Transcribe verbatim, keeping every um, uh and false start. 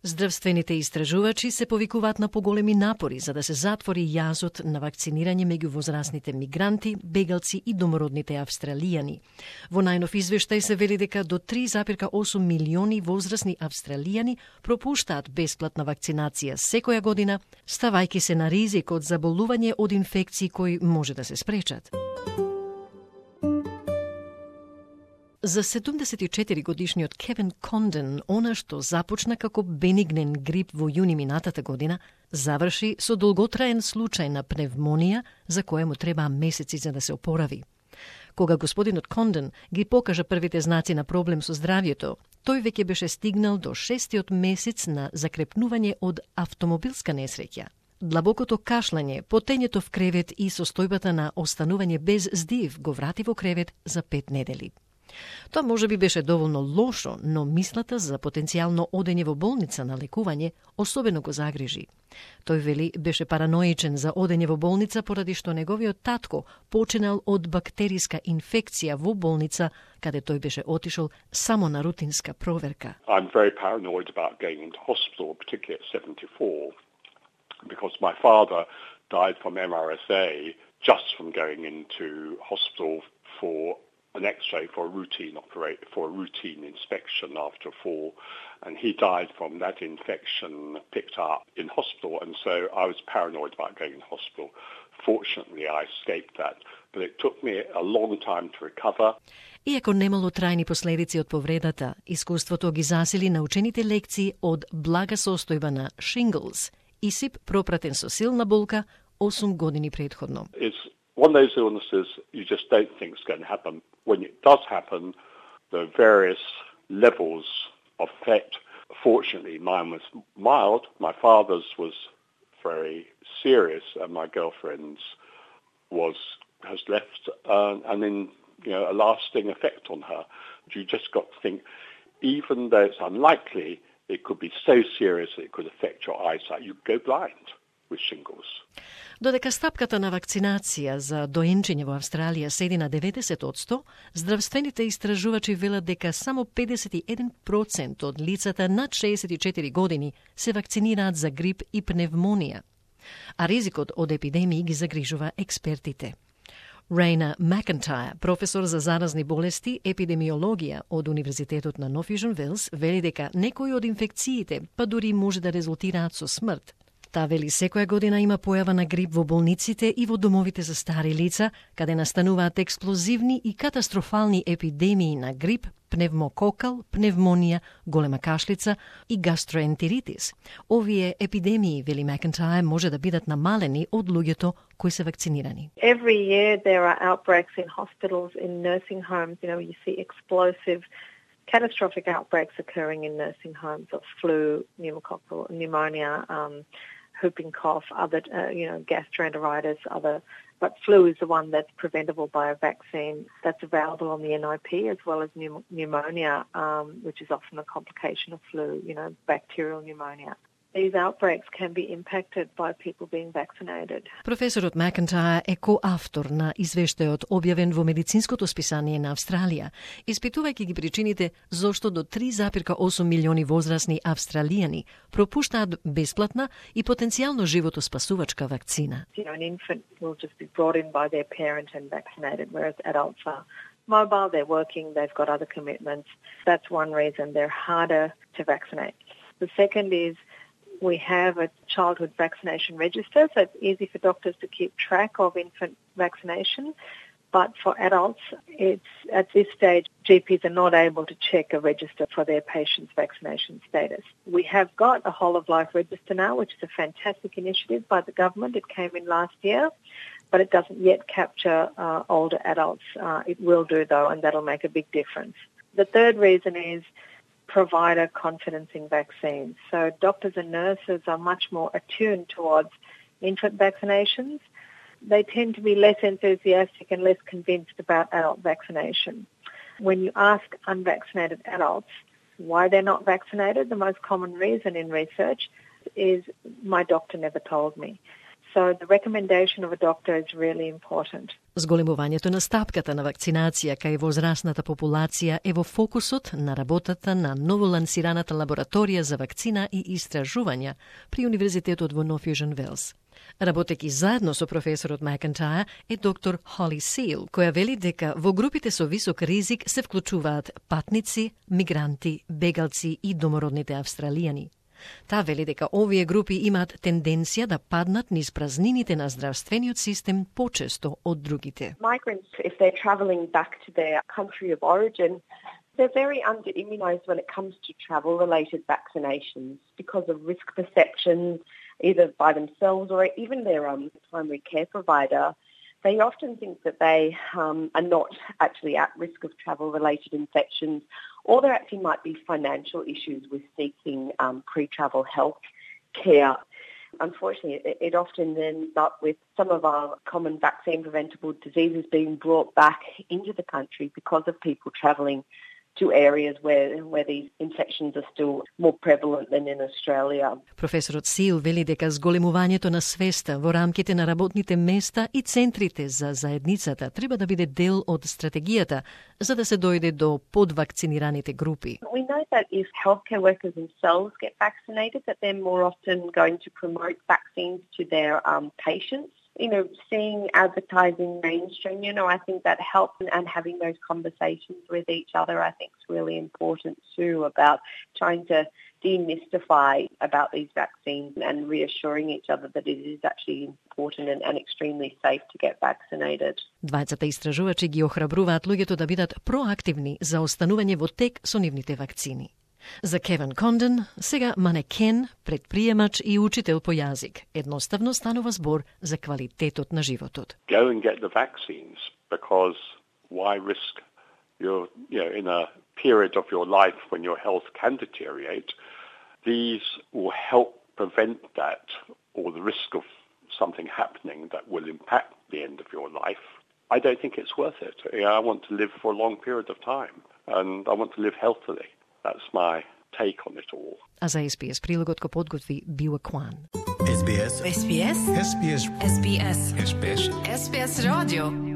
Здравствените истражувачи се повикуваат на поголеми напори за да се затвори јазот на вакцинирање меѓу возрастните мигранти, бегалци и домородните австралијани. Во најнов извештај се вели дека до три зарез и осум милиони возрастни австралијани пропуштаат бесплатна вакцинација секоја година, ставајќи се на ризик од заболување од инфекции кои може да се спречат. За седумдесет и четири годишниот Кевин Конден, она што започна како бенигнен грип во јуни минатата година, заврши со долготраен случај на пневмонија за која му требаа месеци за да се опорави. Кога господинот Конден ги покажа првите знаци на проблем со здравјето, тој веќе беше стигнал до шестиот месец на закрепнување од автомобилска несреќа. Длабокото кашлање, потењето в кревет и состојбата на останување без здив го врати во кревет за пет недели. Тоа може би беше доволно лошо, но мислата за потенцијално одење во болница на лекување особено го загрижи. Тој вели беше параноичен за одење во болница поради што неговиот татко починал од бактериска инфекција во болница, каде тој беше отишол само на рутинска проверка. I'm very paranoid about going into hospital, particularly at seventy-four, because my father died from M R S A just from going into hospital for an X-ray for a routine operate for a routine inspection after a fall, and he died from that infection picked up in hospital, and so I was paranoid about going in hospital. Fortunately, I escaped that, but it took me a long time to recover. Иако немало трајни последици од повредата, искуството ги засили научените лекции од блага состојба на shingles, исип пропратен со силна болка осум години предходно. It's one of those illnesses you just don't think is going to happen. When it does happen, there are various levels of effect. Fortunately, mine was mild. My father's was very serious, and my girlfriend's was has left uh, and then you know a lasting effect on her. You just got to think, even though it's unlikely, it could be so serious that it could affect your eyesight. You go blind with shingles. Додека стапката на вакцинација за доенчење во Австралија седи на деветдесет одсто, здравствените истражувачи велат дека само педесет и еден процент од лицата над шеесет и четири години се вакцинираат за грип и пневмонија, а ризикот од епидемии ги загрижува експертите. Рейна Макентајр, професор за заразни болести, епидемиологија од Универзитетот на Нов Јужен Велс, вели дека некои од инфекциите па дури може да резултираат со смрт. Та вели секоја година има појава на грип во болниците и во домовите за стари лица, каде настануваат експлозивни и катастрофални епидемии на грип, пневмококал, пневмонија, голема кашлица и гастроентеритис. Овие епидемии, вели Макентајр, може да бидат намалени од луѓето кои се вакцинирани. Every year there are outbreaks in hospitals, in nursing homes. You know, you see explosive catastrophic outbreaks occurring in nursing homes of flu, pneumococcal pneumonia, um, whooping cough, other, uh, you know, gastroenteritis, other. But flu is the one that's preventable by a vaccine that's available on the N I P, as well as pneum- pneumonia, um, which is often a complication of flu, you know, bacterial pneumonia. These outbreaks can be impacted by people being vaccinated. Професорот Макентајр е коавтор на извештајот објавен во медицинското списание на Австралија, испитувајќи ги причините зошто до три зарез и осум милиони возрастни австралијани пропуштаат бесплатна и потенцијално животоспасувачка вакцина. You know, an infant will just be brought in by their parent and vaccinated, whereas adults are mobile, they're working, they've got other commitments. That's one reason they're harder to vaccinate. The second is we have a childhood vaccination register, so it's easy for doctors to keep track of infant vaccination. But for adults, it's at this stage, G Ps are not able to check a register for their patient's vaccination status. We have got a whole-of-life register now, which is a fantastic initiative by the government. It came in last year, but it doesn't yet capture uh, older adults. Uh, it will do, though, and that'll make a big difference. The third reason is provider confidence in vaccines. So doctors and nurses are much more attuned towards infant vaccinations. They tend to be less enthusiastic and less convinced about adult vaccination. When you ask unvaccinated adults why they're not vaccinated, the most common reason in research is my doctor never told me. So the recommendation of a doctor is really important. Зголемувањето на стапката на вакцинација кај возрастната популација е во фокусот на работата на новолансираната лабораторија за вакцина и истражувања при Универзитетот во Нов Јужен Велс. Работеки заедно со професорот Макентајр е доктор Холли Сил, која вели дека во групите со висок ризик се вклучуваат патници, мигранти, бегалци и домородните австралијани. Таа вели дека овие групи имаат тенденција да паднат низ празнините на здравствениот систем почесто од другите. Migrants, if they're travelling back to their country of origin, they're very under-immunised when it comes to travel-related vaccinations because of risk perceptions, either by themselves or even their um, primary care provider. They often think that they um, are not actually at risk of travel-related infections, or there actually might be financial issues with seeking um, pre-travel health care. Unfortunately, it, it often ends up with some of our common vaccine-preventable diseases being brought back into the country because of people travelling to areas where, where these infections are still more prevalent than in Australia. Професорот Сил вели дека зголемувањето на свеста во рамките на работните места и центрите за заедницата треба да биде дел од стратегијата за да се дојде до подвакцинираните групи. We know that if healthcare workers themselves get vaccinated, that they're more often going to promote vaccines to their um, patients. You know, seeing advertising mainstream, you know, I think that helps, and having those conversations with each other, I think is really important too, about trying to demystify about these vaccines and reassuring each other that it is actually important and, and extremely safe to get vaccinated. Двајцата истражувачи ги охрабруваат луѓето да бидат проактивни за останување во тек со нивните вакцини. За Кевин Конден, сега манекен, предприемач и учител по јазик, едноставно станува збор за квалитетот на животот. Go and get the vaccines, because why risk your, you know, in a period of your life when your health can deteriorate? These will help prevent that, or the risk of something happening that will impact the end of your life. I don't think it's worth it. You know, I want to live for a long period of time, and I want to live healthily. That's my take on it all. А за Ес Би Ес прилогот го подготви Била Кван. Ес Би Ес. Ес Би Ес. Ес Би Ес. Ес Би Ес. Ес Би Ес. Ес Би Ес радио.